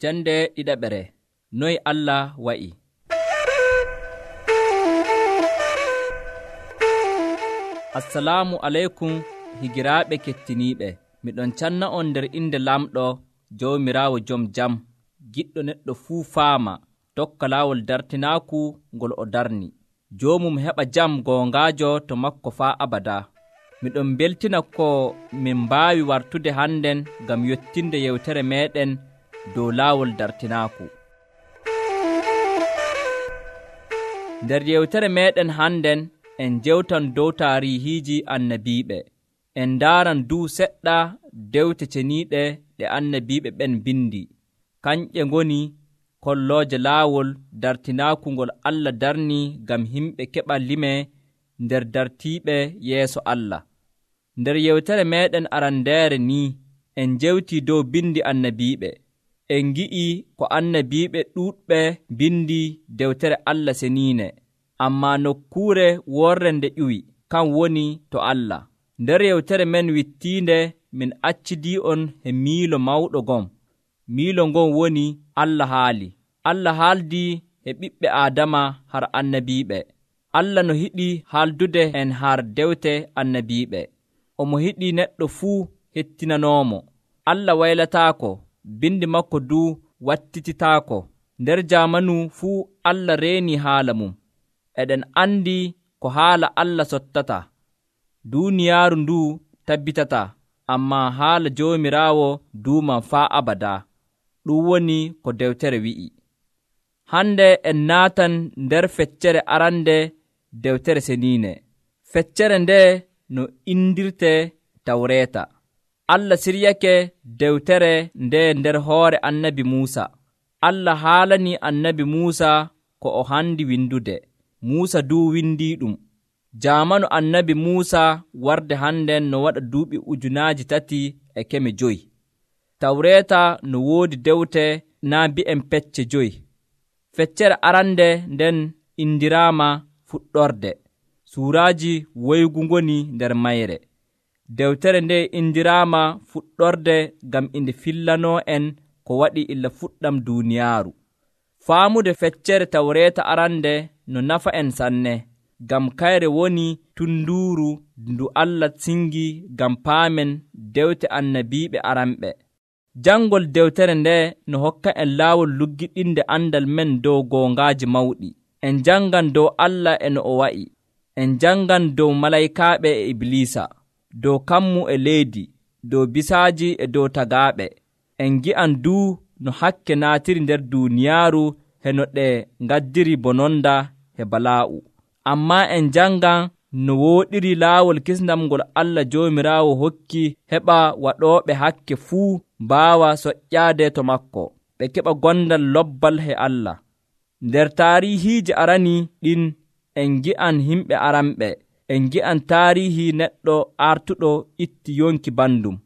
Jande ɗiɗaɓere. Noy Allah wa'i. Assalamu aleykum higiraaɓe kettiniiɓe. Miɗon canna on nder inde lamɗo Jawmiraawo jom jam, giɗɗo neɗɗo fuu faama tokka laawol dartinaaku ngol o darni. Joomum heɓa jam goongaajo to makko faa abada. Miɗon beltina ko min mbaawi wartude hannden ngam yottinde yewtere meeɗen dow laawol dartinaaku. Nder yewtere meeɗen hannden en jewtan dow taarihiiji annabiiɓe. En ndaaran duu seɗɗa dewte ceniiɗe ɗe annabiiɓe ɓen bindi. Kanƴe ngoni kollooje laawol dartinaaku ngol Allah darni ngam himɓe keɓa lime nder dartiiɓe yeeso Allah. Nder yewtere meeɗen arandeere ni en jewtii dow bindi annabiiɓe. En ngi'i ko annabiiɓe ɗuuɗɓe bindi dewtere Allah seniine, ammaa nokkuure worre nde ƴuwi kan woni to Allah. Nder yewtere men wittiinde min accidii'on he miilo mawɗo gon. Miilo ngon woni Allah haali. Allah haaldii e ɓiɓɓe Aadama har annabiiɓe. Allah no hiɗi haaldude en har dewte annabiiɓe. Omo hiɗi neɗɗo fuu hettinanoomo. Allah waylataako, bindi makko duu wattititaako. Nder jaamanu fuu Allah reeni haala mum. Eɗen andi ko haala Allah sottata. Duuniyaaru nduu tabbitata, ammaa haala Joomiraawo duuman faa abada. Ɗum woni ko dewtere wi'i. Hande en naatan nder feccere arande dewtere seniine. Feccere nde no indirte Tawreeta. Allah siryake dewtere nde nder hoore annabi Muusa. Allah haalani annabi Muusa ko o handi windude. Muusa duu windii ɗum. Jaamanu annabi Muusa warde hannden no waɗa duuɓi 3,500. Tawreeta no woodi dewte naa bi'en pecce 5. Feccere arande nden indiraama fuɗɗorde. Suuraaji woygu ngoni nder mayre. Dewtere nde indiraama fuɗɗorde ngam inde fillanoo en ko waɗi illa fuɗɗam duuniyaaru. Faamude feccere Tawreeta arande no nafa en sanne, ngam kayre woni tunduuru ndu Allah singi ngam paamen dewte annabiiɓe aranɓe. Janngol dewtere nde no hokka en laawol luggiɗinde andal men dow goongaaji mawɗi. En janngan dow Allah e no o wa'i. En janngan dow malaykaaɓe e Ibliisa, dow kammu e leydi, dow bisaaji e dow tagaaɓe. En ngi'an duu no hakke naatiri nder duuniyaaru he no ɗe ngaddiri bononda he balaa'u. Ammaa en janngan no wooɗiri laawol kisndam ngol Allah Joomiraawo hokki heɓa waɗooɓe hakke fuu mbaawa soƴƴaade to makko, ɓe keɓa gondal lobbal he Allah. Nder taarihiiji arani ɗin en ngi'an himɓe aranɓe. En ngi'an taarihi neɗɗo artuɗo itti yonki bandum.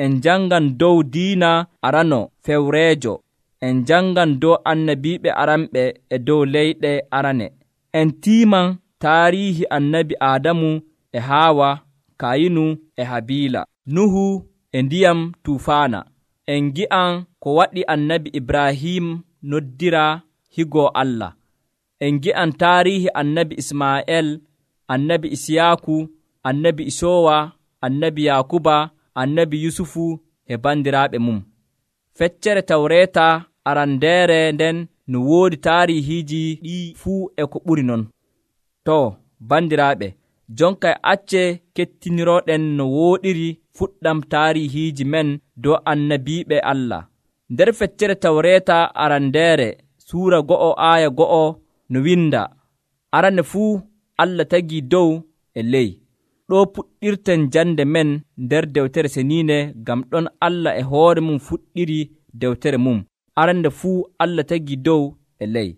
En janngan dow diina arano fewreejo. En janngan dow annabiiɓe aranɓe e dow leyɗe arane. En tiiman taarihi annabi Aadamu e Haawa, Kayinu e Habiila, Nuhu e ndiyam tuufaana. En ngi'an ko waɗi annabi Ibrahim noddira higoo Allah. En ngi'an taarihi annabi Ismaa'eel, annabi Isiyaaku, annabi Isoowa, annabi Yaakuba, annabi Yusufu e bandiraaɓe mum. Feccere Tawreeta arandeere nden no woodi taarihiiji ɗi fuu e ko ɓuri non. To, bandiraaɓe, jonka acce kettinirooɗen no wooɗiri fuɗɗam taarihiiji men dow annabiiɓe Allah. Nder feccere Tawreeta arandeere suura 1:1 no winda: arande fuu Allah tagii dow e ley. Ɗo puɗɗirten jande men nder dewtere seniine, ngam ɗon Allah e hoore mum fuɗɗiri dewtere mum. Arande fuu Allah tagii dow e ley.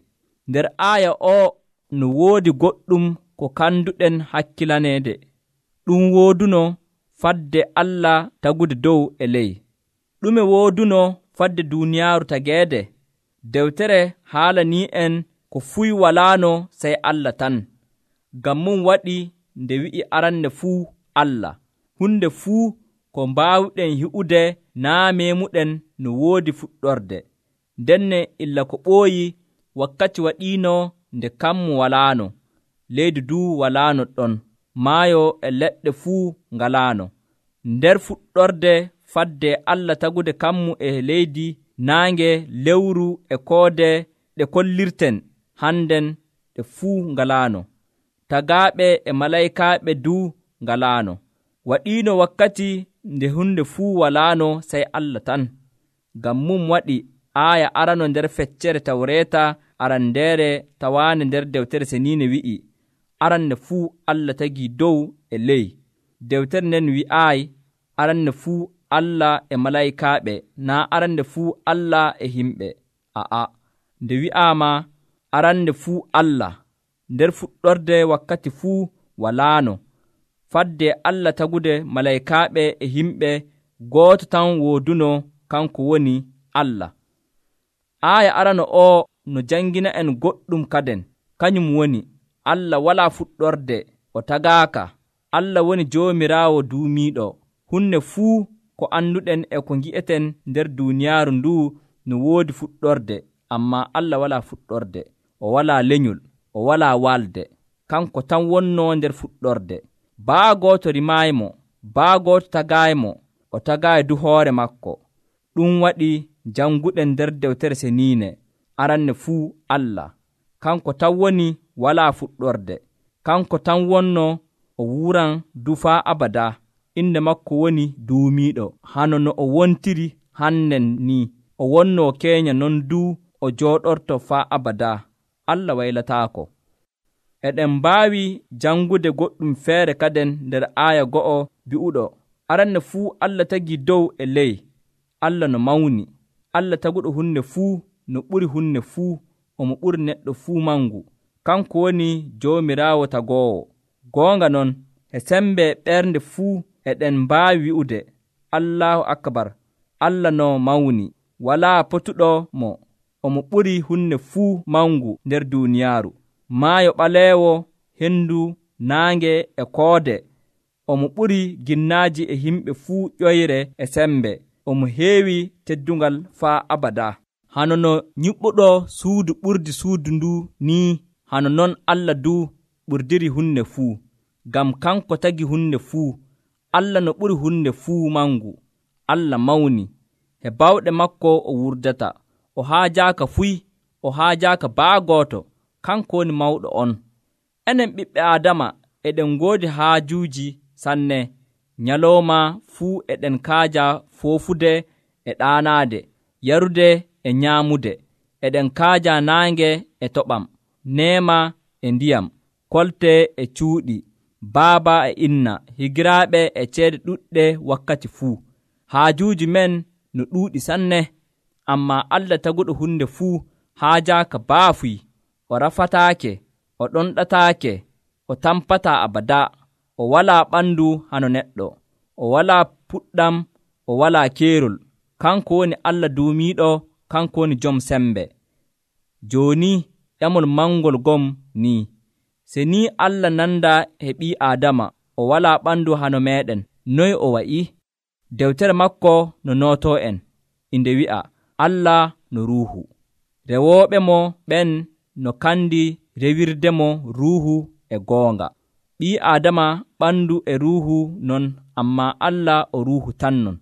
Nder aaya o no woodi goɗɗum ko kanduɗen hakkilaneede. Ɗum wooduno fadde Allah tagude dow e ley. Ɗume wooduno fadde duuniyaaru tageede? Dewtere haalanii en ko fuy walaano sey Allah tan. Ngam mum waɗi nde wi'i aranne fuu Allah. Hunde fuu ko mbaawɗen hi'ude naa meemuɗen no woodi fuɗɗorde. Ndenne illa ko ɓooyi wakkati waɗiino nde kammu walaano, leydi duu walaano ɗon, maayo e leɗɗe fuu ngalaano. Nder fuɗɗorde fadde Allah tagude kammu e leydi, naange, lewru e koode ɗe kollirten hannden ɗe fuu ngalaano. Tagaaɓe e malaykaaɓe duu ngalaano. Waɗiino wakkati nde hunde fuu walaano sey Allah tan. Ngam mum waɗi aaya arano nder feccere Tawreeta arandeere tawaande nder Dewtere Seniine wi'i, aranne fuu Allah tagii dow e ley. Dewtere nden wi'aayi aranne fuu Allah e malaykaaɓe, naa arande fuu Allah e himɓe. Nde wi'aama arande fuu Allah, nder fuɗɗorde wakkati fuu walaano. Fadde Allah tagude malaykaaɓe e himɓe, gooto tan wooduno, kanko woni Allah. Aaya arano o no jangina en goɗɗum kaden, kañum woni Allah walaa fuɗɗorde, o tagaaka. Allah woni Joomiraawo duumiiɗo. Hunde fuu ko annduɗen e ko ngi'eten nder duuniyaaru nduu no woodi fuɗɗorde, ammaa Allah walaa fuɗɗorde. O walaa lenyol, o walaa walde. Kanko tan wonnoo nder fuɗɗorde. Baa gooto rimaayimo, baa gooto tagaaymo, o tagaayi du hoore makko. Ɗum waɗi janguɗen nder Dewtere Seniine, aranne fuu Allah. Kanko tan woni walaa fuɗɗorde. Kanko tan wonnoo o wuran du faa abada. Inde makko woni duumiiɗo, hano no o wontiri hannden ni. O wonnoo keenya non duu o jooɗorto faa abada. Allah waylataako. Eɗen mbaawi jangude goɗɗum feere kaden nder aaya go'o bi'uɗo, aranne fuu Allah tagii dow e ley. Allah no mawni. Allah taguɗo hunde fuu no ɓuri hunde fuu, omo ɓuri neɗɗo fuu mangu. Kanko woni Joomiraawo tagoowo. Goonga non, e sembe ɓernde fuu eɗen mbaawi wi'ude, Allahu akbar, Allah no mawni. Walaa potuɗo mo, omo ɓuri hunde fuu mangu nder duuniyaaru. Maayo ɓaleewo, hendu, naange e koode, omo ɓuri ginnaaji e himɓe fuu ƴoyre e sembe. Omo heewi teddungal faa abada. Hano no nyiɓɓuɗo suudu ɓurdi suudu ndu ni, hano non Allah du ɓurdiri hunde fuu. Ngam kanko tagi hunde fuu. Allah no ɓuri hunde fuu mangu. Allah mawni. He bawɗe makko o wurdata. O haajaaka fuy, o haajaaka baa gooto. Kanko woni mawɗo on. Enen ɓiɓɓe Aadama eɗen ngoodi haajuuji sanne. Nyalooma fuu eɗen kaaja foofude e ɗaanaade, yarude e nyaamude. Eɗen kaaja naange e toɓam, neema e ndiyam, kolte e cuuɗi, baaba e inna, higiraaɓe e ceede ɗuɗɗe wakkati fuu. Haajuuji men no ɗuuɗi sanne, ammaa Allah taguɗo hunde fuu haajaaka baafuy. O rafataake, o ɗonɗataake, o tampataa abada. O walaa ɓandu hano neɗɗo, o walaa puɗɗam, o walaa keerol. Kanko woni Allah duumiiɗo, kanko woni jom sembe. Jooni ƴamol mangol gom ni, se ni Allah nanda e ɓii Aadama, o walaa ɓandu hano meɗen, noy o wa'i? Dewtere makko no nootoo en, inde wi'a, Allah no ruuhu. Rewooɓe mo ɓen no kandi rewirdemo ruuhu e goonga. Ɓii Aadama ɓandu e ruuhu non, ammaa Allah o ruuhu tan non.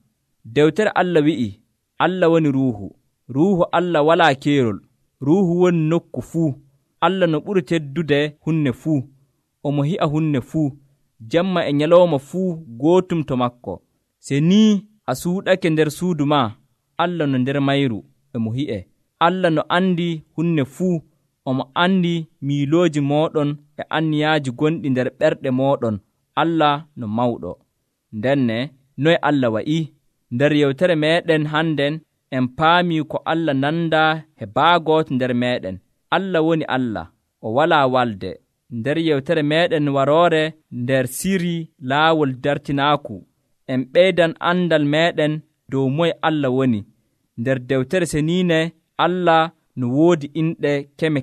Dewtere Allah wi'i, Allah woni ruuhu. Ruuhu Allah walaa keerol. Ruuhu woni nokku fuu. Allah no ɓuri teddude hunne fuu. Omo hi'a hunne fuu. Jemma e nyalawma fuu gootum to makko. Se ni a suuɗake nder suudu ma, Allah no nder mayru emo hi'e. Allah no andi hunne fuu. Omo andi miilooji mooɗon e anniyaaji gonɗi nder ɓerɗe mooɗon. Allah no mawɗo. Ndenne noy Allah wa'i? Nder yewtere meɗen hannden en paami ko Allah nanda he baagooto nder meɗen. Allah woni Allah, o walaa walde. Nder yewtere meɗen waroore nder siri laawol dartinaaku, en ɓeydan andal meɗen dow moye Allah woni. Nder Dewtere Seniine Allah no woodi inɗe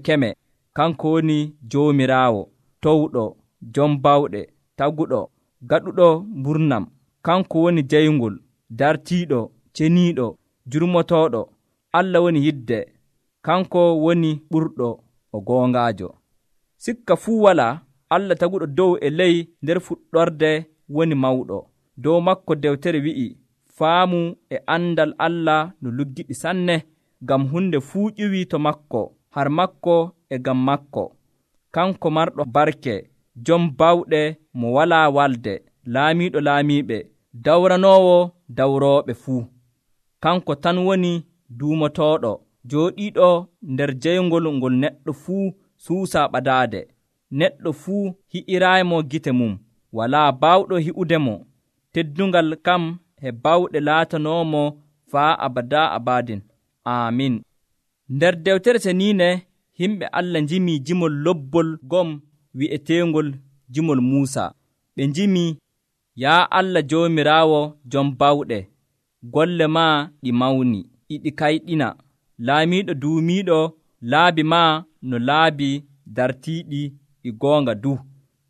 keme. Kanko woni Joomiraawo, towɗo, jom bawɗe, taguɗo, gaɗuɗo mburnam. Kanko woni jayngol, dartiiɗo, ceniiɗo, jurmotooɗo. Allah woni yidde, kanko woni ɓurɗo o goongaajo. Sikka fuu walaa, Allah taguɗo dow e ley nder fuɗɗorde woni mawɗo. Dow makko dewtere wi'i, faamu e andal Allah no luggiɗi sanne, ngam hunde fuu ƴuwii to makko, har makko e ngam makko. Kanko marɗo barke, jom bawɗe mo walaa walde, laamiiɗo laamiiɓe, dawranoowo dawrooɓe fuu. Kanko tan woni duumotooɗo, jooɗiiɗo nder jeyngol ngol neɗɗo fuu suusaa ɓadaade. Neɗɗo fuu hi'iraaymo gite mum, walaa baawɗo hi'udemo. Teddungal kam e bawɗe laatanoomo faa abadaa abadin. Aamin. Nder Dewtere Ceniinde, himɓe Allah njimii jimol lobbol gom wi'eteengol jimol Muusa. Ɓe njimii, yaa Allah Joomiraawo jom bawɗe, golle maa ɗi mawni, iɗi kayɗina. Laamiiɗo duumiiɗo, laabi maa no laabi dartiiɗi ɗi goonga du.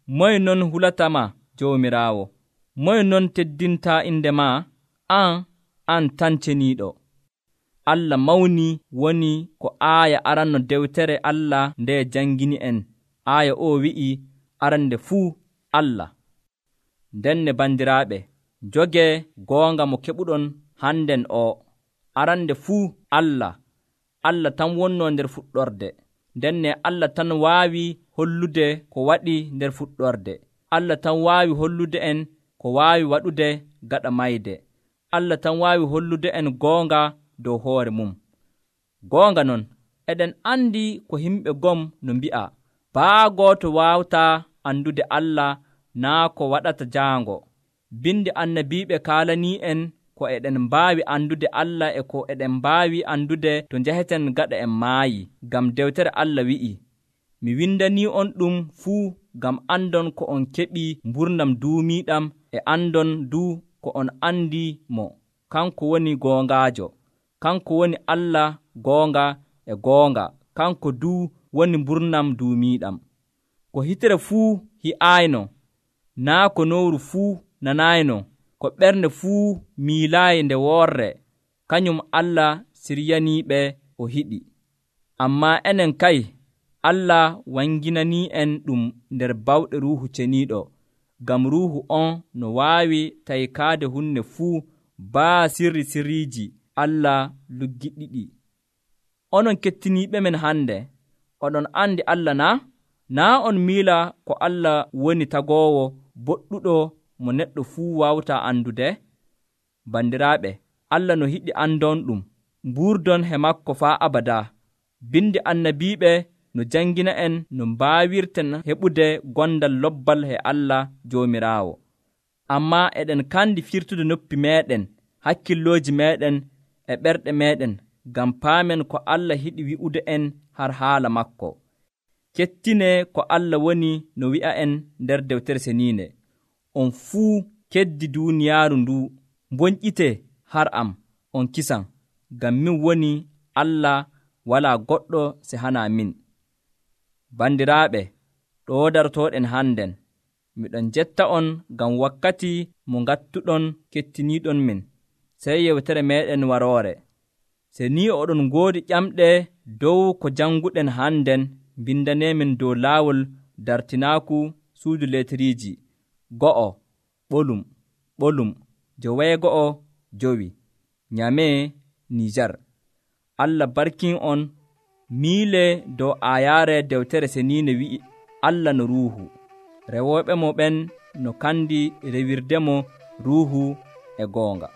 Moye non hulatama, Joomiraawo? Moye non teddintaa inde maa? An tan ceniiɗo. Allah mawni woni ko aaya aranno dewtere Allah nde janngini en. Aaya o wi'i arande fuu Allah. Ndenne bandiraaɓe, jogee goonga mo keɓuɗon hannden o. Arande fuu Allah. Allah tan wonnoo nder fuɗɗorde. Ndenne Allah tan waawi hollude ko waɗi nder fuɗɗorde. Allah tan waawi hollude en ko waawi waɗude gaɗa mayde. Allah tan waawi hollude en goonga dow hoore mum. Goonga non, eɗen andi ko himɓe gom no mbi'a, baa gooto waawataa andude Allah naa ko waɗata jaango. Bindi annabiiɓe kaalanii en ko eɗen mbaawi andude Allah e ko eɗen mbaawi andude to njaheten gaɗa en maayi. Ngam dewtere Allah wi'i, mi windanii on ɗum fuu ngam andon ko on keɓii mburnam duumiiɗam e andon du ko on andi mo. Kanko woni goongaajo. Kanko woni Allah goonga e goonga. Kanko du woni mburnam duumiiɗam. Ko hitere fuu hi'aayno, naa ko nowru fuu nanaayno, ko ɓernde fuu miilaayi nde woorre, kañum Allah siryaniiɓe o hiɗi. Ammaa enen kay, Allah wanginanii en ɗum nder bawɗe Ruuhu Ceniiɗo, ngam Ruuhu on no waawi taykaade hunde fuu baa sirriiji Allah luggiɗiɗi. Onon kettiniiɓe men hannde, oɗon andi Allah naa? Naa on miila ko Allah woni tagoowo boɗɗuɗo mo neɗɗo fuu waawtaa andude? Bandiraaɓe, Allah no hiɗi andon ɗum, mbuurdon he makko faa abadaa. Bindi annabiiɓe no jangina en no mbaawirten heɓude gondal lobbal he Allah Joomiraawo. Ammaa eɗen kandi firtude noppi meeɗen, hakkillooji meeɗen e ɓerɗe meeɗen, ngam paamen ko Allah hiɗi wi'ude en har haala makko. Kettinee ko Allah woni no wi'a en nder Dewtere Ceniinde. On fuu keddi duuniyaaru ndu, mboñƴitee har am, on kisan, ngam min woni Allah, walaa goɗɗo se hanaa min. Bandiraaɓe, ɗoo darotooɗen hannden, miɗon jetta on ngam wakkati mo ngattuɗon kettiniiɗon min, sey yewtere meeɗen waroore. Se ni oɗon ngoodi ƴamɗe dow ko jannguɗen hannden, mbindaneemin dow laawol dartinaaku suudu leteriiji 1 ɓolum joweego'o jowi Nyamee, Nijar. Allah barkin on. Miile dow aayaare Dewtere Ceniinde wi'i Allah no Ruuhu, rewooɓe mo ɓen no kandi rewirdemo Ruuhu e goonga.